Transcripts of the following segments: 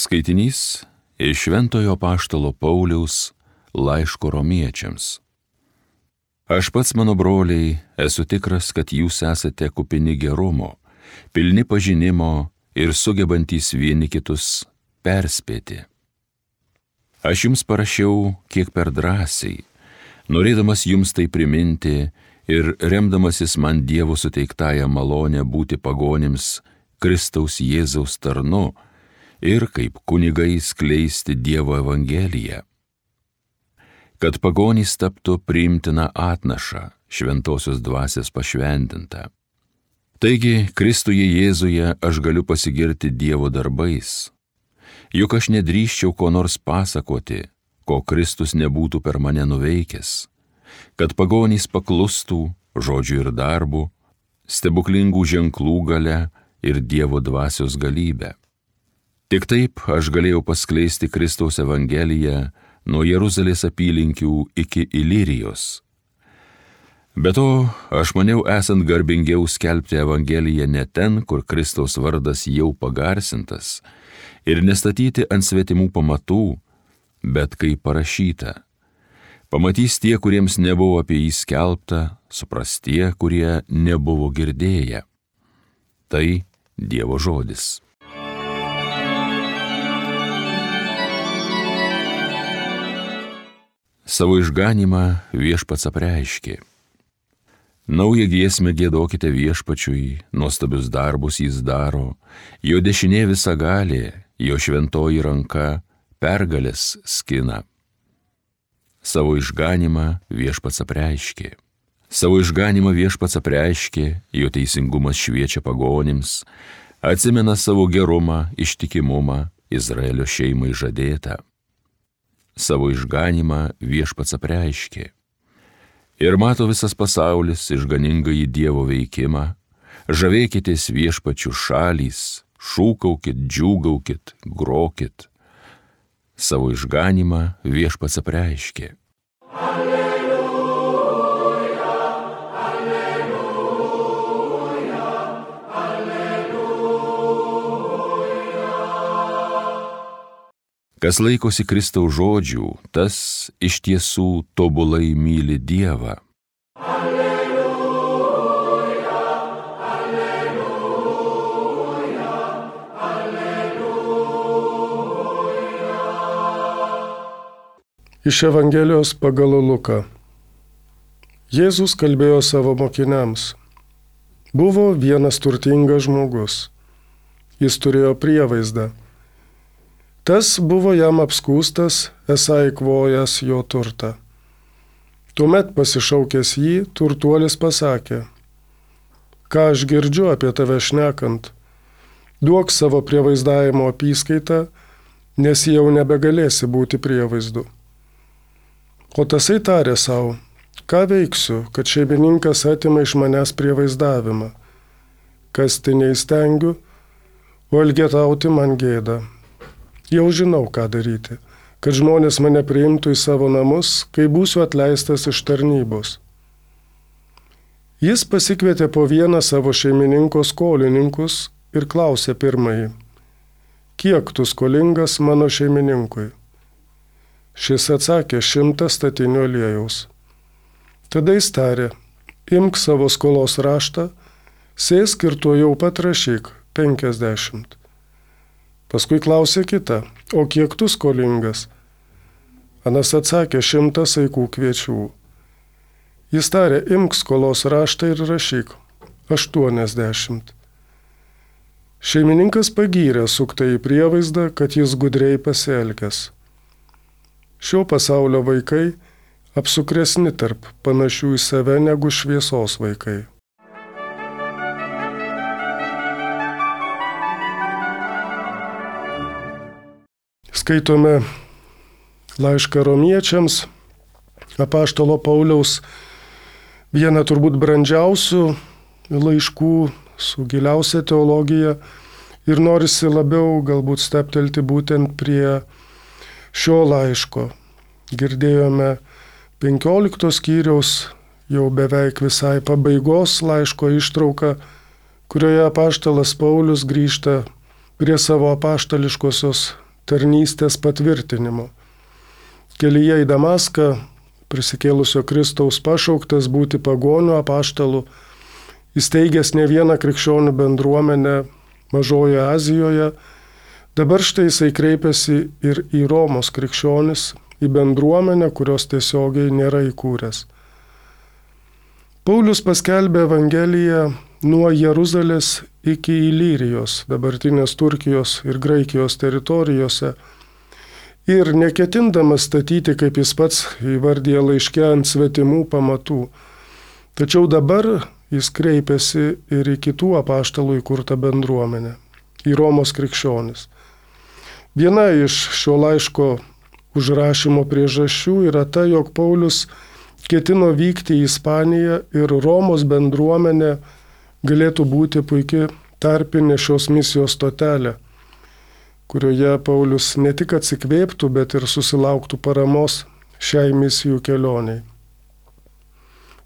Skaitinys iš Šventojo apaštalo Pauliaus laiško romiečiams. Aš pats, mano broliai, esu tikras, kad jūs esate kupini gerumo, pilni pažinimo ir sugebantys vieni kitus perspėti. Aš jums parašiau kiek per drąsiai, norėdamas jums tai priminti ir remdamasis man Dievo suteiktąją malonę būti pagonims Kristaus Jėzaus tarnu ir kaip kunigai skleisti Dievo evangeliją, kad pagonys taptų priimtiną atnašą, šventosios dvasios pašventintą. Taigi, Kristuje Jėzuje aš galiu pasigirti Dievo darbais, juk aš nedrįsčiau ko nors pasakoti, ko Kristus nebūtų per mane nuveikęs, kad pagonys paklustų žodžiu ir darbu, stebuklingų ženklų galia ir Dievo dvasios galybę. Tik taip aš galėjau paskleisti Kristaus evangeliją nuo Jeruzalės apylinkių iki Ilirijos. Be to, aš maniau esant garbingiau skelbti evangeliją ne ten, kur Kristaus vardas jau pagarsintas, ir nestatyti ant svetimų pamatų, bet kaip parašyta. Pamatys tie, kuriems nebuvo apie jį skelbta, supras tie, kurie nebuvo girdėję. Tai Dievo žodis. Savo išganymą Viešpats apreiškė. Naują giesmę giedokite Viešpačiui, nuostabius darbus jis daro, jo dešinė visagalė, jo šventoji ranka pergalės skina. Savo išganymą Viešpats apreiškė. Savo išganymą Viešpats apreiškė, jo teisingumas šviečia pagonims, atsimena savo gerumą, ištikimumą Izraelio šeimai žadėtą. Savo išganymą Viešpats apreiškė. Ir mato visas pasaulis išganingąjį Dievo veikimą, žavėkitės Viešpačių šalys, šūkaukit, džiūgaukit, grokit. Savo išganymą Viešpats apreiškė. Alleluja, alleluja, alleluja. Kas laikosi Kristaus žodžių, tas iš tiesų tobulai myli Dievą. Alleluja, alleluja, alleluja. Iš Evangelijos pagal Luką. Jėzus kalbėjo savo mokiniams. Buvo vienas turtingas žmogus. Jis turėjo prievaizdą. Tas buvo jam apskūstas, esą eikvojęs jo turtą. Tuomet pasišaukęs jį, turtuolis pasakė: ką aš girdžiu apie tave šnekant, duok savo prievaizdavimo apyskaitą, nes jau nebegalėsi būti prievaizdu. O tasai tarė savo: ką veiksiu, kad šeimininkas atima iš manęs prievaizdavimą? Kasti neįstengiu, o elgetauti man gėda. Jau žinau, ką daryti, kad žmonės mane priimtų į savo namus, kai būsiu atleistas iš tarnybos. Jis pasikvietė po vieną savo šeimininko skolininkus ir klausė pirmąjį: kiek tu skolingas mano šeimininkui? Šis atsakė: 100 statinių aliejaus. Tada jis tarė: imk savo skolos raštą, sėsk ir tuojau pat rašyk 50. Paskui klausė kitą: o kiek tu skolingas? Anas atsakė: 100 saikų kviečių. Jis tarė: imk skolos raštą ir rašyk 80. Šeimininkas pagyrė suktąjį prievaizdą, kad jis gudriai pasielgęs. Šio pasaulio vaikai apsukresni tarp panašių į save negu šviesos vaikai. Skaitome laišką romiečiams, apaštalo Pauliaus, vieną turbūt brandžiausių laiškų su giliausia teologija, ir norisi labiau galbūt steptelti būtent prie šio laiško. Girdėjome 15 skyriaus jau beveik visai pabaigos laiško ištrauką, kurioje apaštalas Paulius grįžta prie savo apaštališkosios tarnystės patvirtinimo. Kelyje į Damaską prisikėlusio Kristaus pašauktas būti pagonių apaštalu, įsteigęs ne vieną krikščionių bendruomenę Mažojoje Azijoje, dabar štai jisai kreipiasi ir į Romos krikščionis, į bendruomenę, kurios tiesiogiai nėra įkūręs. Paulius paskelbė Evangeliją nuo Jeruzalės iki Ilyrijos, dabartinės Turkijos ir Graikijos teritorijose, ir neketindamas statyti, kaip jis pats įvardija laiške, ant svetimų pamatų. Tačiau dabar jis kreipiasi ir į kitų apaštalų įkurtą bendruomenę, į Romos krikščionis. Viena iš šio laiško užrašymo priežasčių yra ta, jog Paulius ketino vykti į Ispaniją ir Romos bendruomenė galėtų būti puikia tarpinė šios misijos stotelė, kurioje Paulius ne tik atsikvėptų, bet ir susilauktų paramos šiai misijų kelioniai.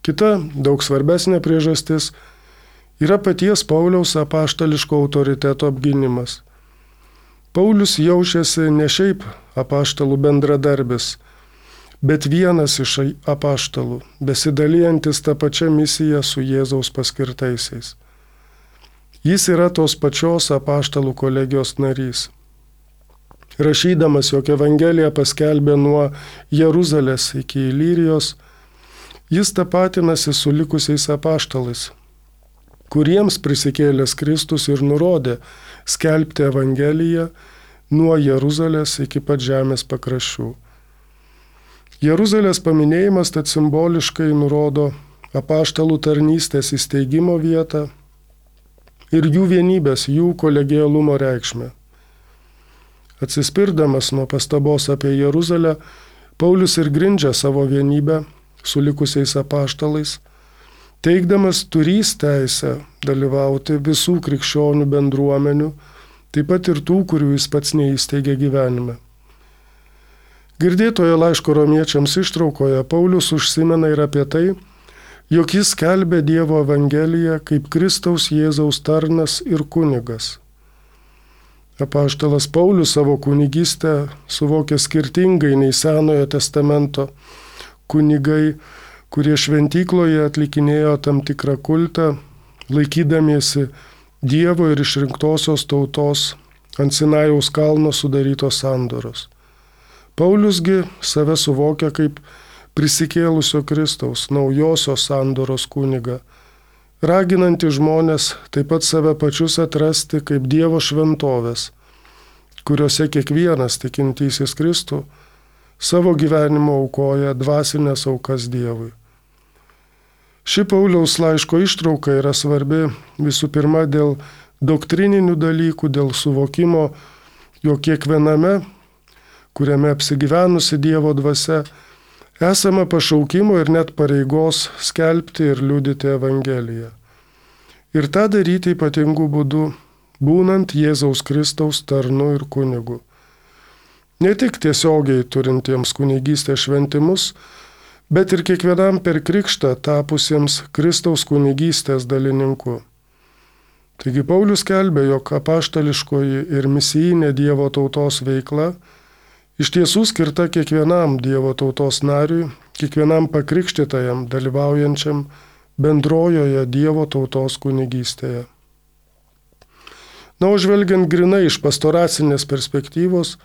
Kita, daug svarbesnė priežastis yra paties Pauliaus apaštališko autoriteto apgynimas. Paulius jaučiasi ne šiaip apaštalų bendradarbis, bet vienas iš apaštalų, besidalijantis tą pačią misiją su Jėzaus paskirtaisiais. Jis yra tos pačios apaštalų kolegijos narys. Rašydamas, jog Evangelija paskelbė nuo Jeruzalės iki Ilyrijos, jis tapatinasi su likusiais apaštalais, kuriems prisikėlęs Kristus ir nurodė skelbti Evangeliją nuo Jeruzalės iki pat žemės pakraščių. Jeruzalės paminėjimas tad simboliškai nurodo apaštalų tarnystės įsteigimo vietą ir jų vienybės, jų kolegialumo reikšmę. Atsispirdamas nuo pastabos apie Jeruzalę, Paulius ir grindžia savo vienybę su likusiais apaštalais, teigdamas turys teisę dalyvauti visų krikščionių bendruomenių, taip pat ir tų, kurių jis pats neįsteigė gyvenime. Girdėtoje laiško romiečiams ištraukoje Paulius užsimena ir apie tai, jog jis skelbė Dievo Evangeliją kaip Kristaus Jėzaus tarnas ir kunigas. Apaštalas Paulius savo kunigystę suvokė skirtingai nei Senojo testamento kunigai, kurie šventykloje atlikinėjo tam tikrą kultą, laikydamiesi Dievo ir išrinktosios tautos ant Sinajaus kalno sudarytos sandoros. Pauliusgi save suvokia kaip prisikėlusio Kristaus, naujosios sandoros kunigą, raginantį žmonės taip pat save pačius atrasti kaip Dievo šventovės, kuriuose kiekvienas tikintysis Kristų savo gyvenimo aukoja dvasinės aukas Dievui. Ši Pauliaus laiško ištrauka yra svarbi visų pirma dėl doktrininių dalykų, dėl suvokimo, jog kiekviename, kuriame apsigyvenusi Dievo dvasia, esama pašaukimo ir net pareigos skelbti ir liudyti Evangeliją. Ir tą daryti ypatingų būdų, būnant Jėzaus Kristaus tarnu ir kunigu. Ne tik tiesiogiai turintiems kunigystės šventimus, bet ir kiekvienam per krikštą tapusiems Kristaus kunigystės dalininku. Taigi Paulius skelbė, jog apaštališkoji ir misijinė Dievo tautos veikla iš tiesų skirta kiekvienam Dievo tautos nariui, kiekvienam pakrikštytajam dalyvaujančiam bendrojoje Dievo tautos kunigystėje. Na, o žvelgiant grinai iš pastoracinės perspektyvos,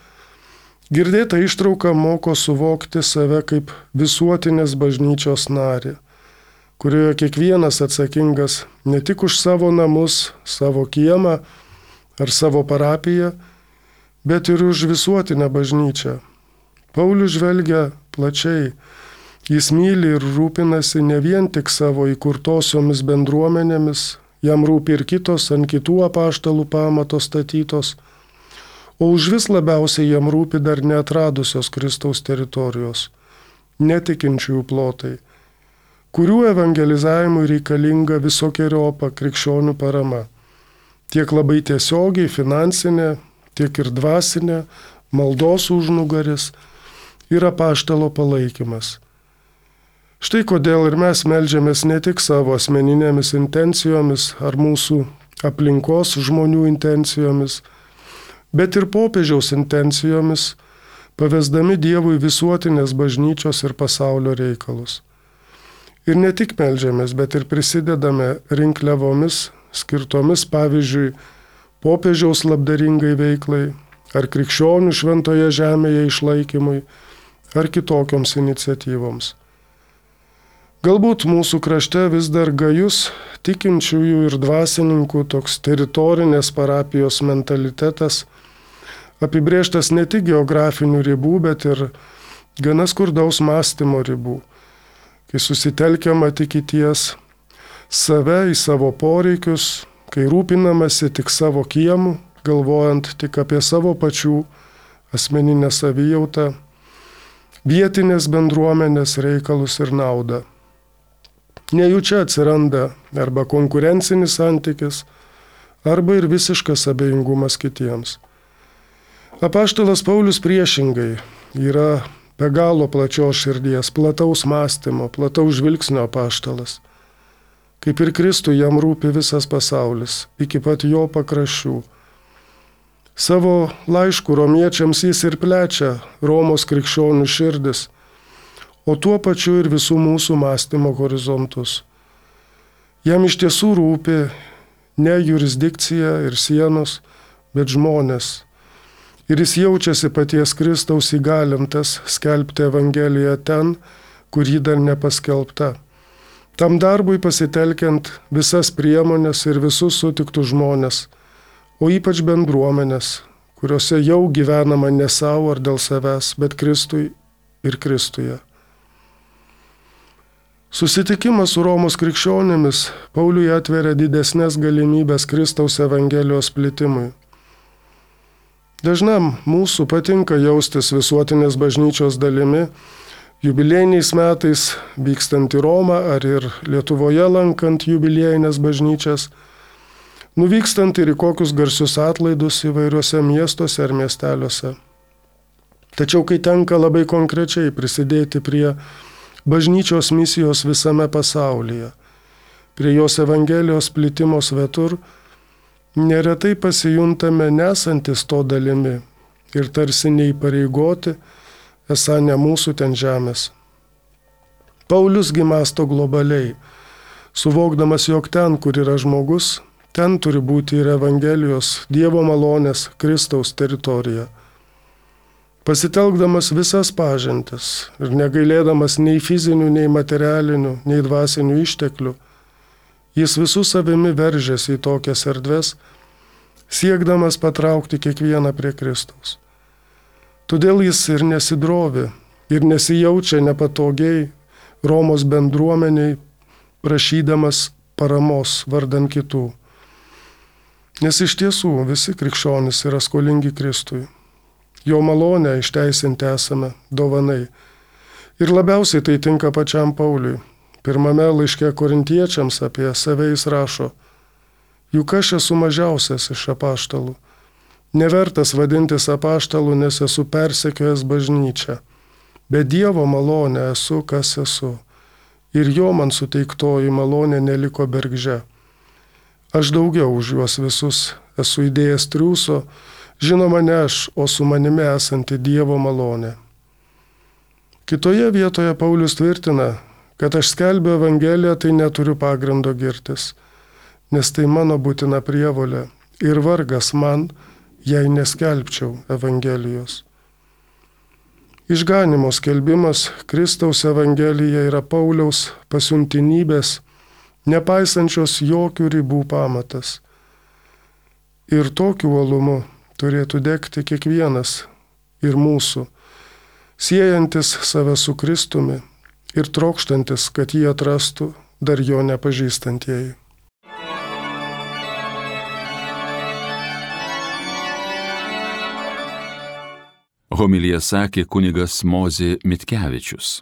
girdėta ištrauka moko suvokti save kaip visuotinės bažnyčios narį, kurioje kiekvienas atsakingas ne tik už savo namus, savo kiemą ar savo parapiją, bet ir už visuotinę bažnyčią. Paulius žvelgia plačiai, jis myli ir rūpinasi ne vien tik savo įkurtosiomis bendruomenėmis, jam rūpi ir kitos ant kitų apaštalų pamato statytos, o užvis labiausiai jam rūpi dar neatradusios Kristaus teritorijos, netikinčiųjų plotai, kurių evangelizavimui reikalinga visokeriopą krikščionių parama, tiek labai tiesiogiai finansinė, tiek ir dvasinė, maldos užnugaris ir apaštalo palaikymas. Štai kodėl ir mes meldžiamės ne tik savo asmeninėmis intencijomis ar mūsų aplinkos žmonių intencijomis, bet ir popiežiaus intencijomis, pavesdami Dievui visuotinės bažnyčios ir pasaulio reikalus. Ir ne tik meldžiamės, bet ir prisidedame rinkliavomis, skirtomis pavyzdžiui popiežiaus labdaringai veiklai, ar krikščionių šventoje žemėje išlaikymui, ar kitokioms iniciatyvoms. Galbūt mūsų krašte vis dar gajus tikinčiųjų ir dvasininkų toks teritorinės parapijos mentalitetas, apibrėžtas ne tik geografinių ribų, bet ir gana skurdaus mąstymo ribų, kai susitelkiama tik į ties save, į savo poreikius, kai rūpinamasi tik savo kiemu, galvojant tik apie savo pačių asmeninę savijautą, vietinės bendruomenės reikalus ir naudą. Nejučia atsiranda arba konkurencinis santykis, arba ir visiškas abejingumas kitiems. Apaštalas Paulius priešingai yra be galo plačios širdies, plataus mąstymo, plataus žvilgsnio apaštalas. Kaip ir Kristui jam rūpi visas pasaulis, iki pat jo pakraščių. Savo laiškų romiečiams jis ir plečia Romos krikščionių širdis, o tuo pačiu ir visų mūsų mąstymo horizontus. Jam iš tiesų rūpi ne jurisdikcija ir sienos, bet žmonės. Ir jis jaučiasi paties Kristaus įgalintas skelbti Evangeliją ten, kur ji dar nepaskelbta. Tam darbui pasitelkiant visas priemonės ir visus sutiktus žmonės, o ypač bendruomenės, kuriuose jau gyvenama ne savo ar dėl savęs, bet Kristui ir Kristuje. Susitikimas su Romos krikščionėmis Pauliui atveria didesnės galimybės Kristaus Evangelijos plitimui. Dažnam mūsų patinka jaustis visuotinės bažnyčios dalimi, jubiliejiniais metais vykstant į Romą ar ir Lietuvoje lankant jubiliejinės bažnyčias, nuvykstant ir į kokius garsius atlaidus įvairiuose miestuose ar miesteliuose. Tačiau kai tenka labai konkrečiai prisidėti prie bažnyčios misijos visame pasaulyje, prie jos Evangelijos plitimo svetur, neretai pasijuntame nesantis to dalimi ir tarsi neįpareigoti, esą ne mūsų ten žemės. Paulius gi mąsto globaliai, suvokdamas, jog ten, kur yra žmogus, ten turi būti ir Evangelijos, Dievo malonės, Kristaus teritorija. Pasitelkdamas visas pažintis ir negailėdamas nei fizinių, nei materialinių, nei dvasinių išteklių, jis visų savimi veržiasi į tokias erdves, siekdamas patraukti kiekvieną prie Kristaus. Todėl jis ir nesidrovi, ir nesijaučia nepatogiai Romos bendruomeniai, prašydamas paramos vardan kitų. Nes iš tiesų visi krikščionys yra skolingi Kristui. Jo malonę išteisinti esame dovanai. Ir labiausiai tai tinka pačiam Pauliui. Pirmame laiške korintiečiams apie save jis rašo: juk aš esu mažiausias iš apaštalų. Nevertas vadintis apaštalu, nes esu persekiojęs bažnyčią. Be Dievo malonę esu, kas esu. Ir jo man suteiktoji malonė neliko bergždžia. Aš daugiau už juos visus esu įdėjęs triūso, žinoma ne aš, o su manimi esanti Dievo malonė. Kitoje vietoje Paulius tvirtina, kad aš skelbiu Evangeliją, tai neturiu pagrindo girtis, nes tai mano būtina prievolė ir vargas man, jei neskelbčiau Evangelijos. Išganimo skelbimas Kristaus Evangelija yra Pauliaus pasiuntinybės, nepaisančios jokių ribų pamatas. Ir tokiu uolumu turėtų degti kiekvienas ir mūsų, siejantis save su Kristumi ir trokštantis, kad jį atrastų dar jo nepažįstantieji. Homiliją sakė kunigas Mozė Mitkevičius.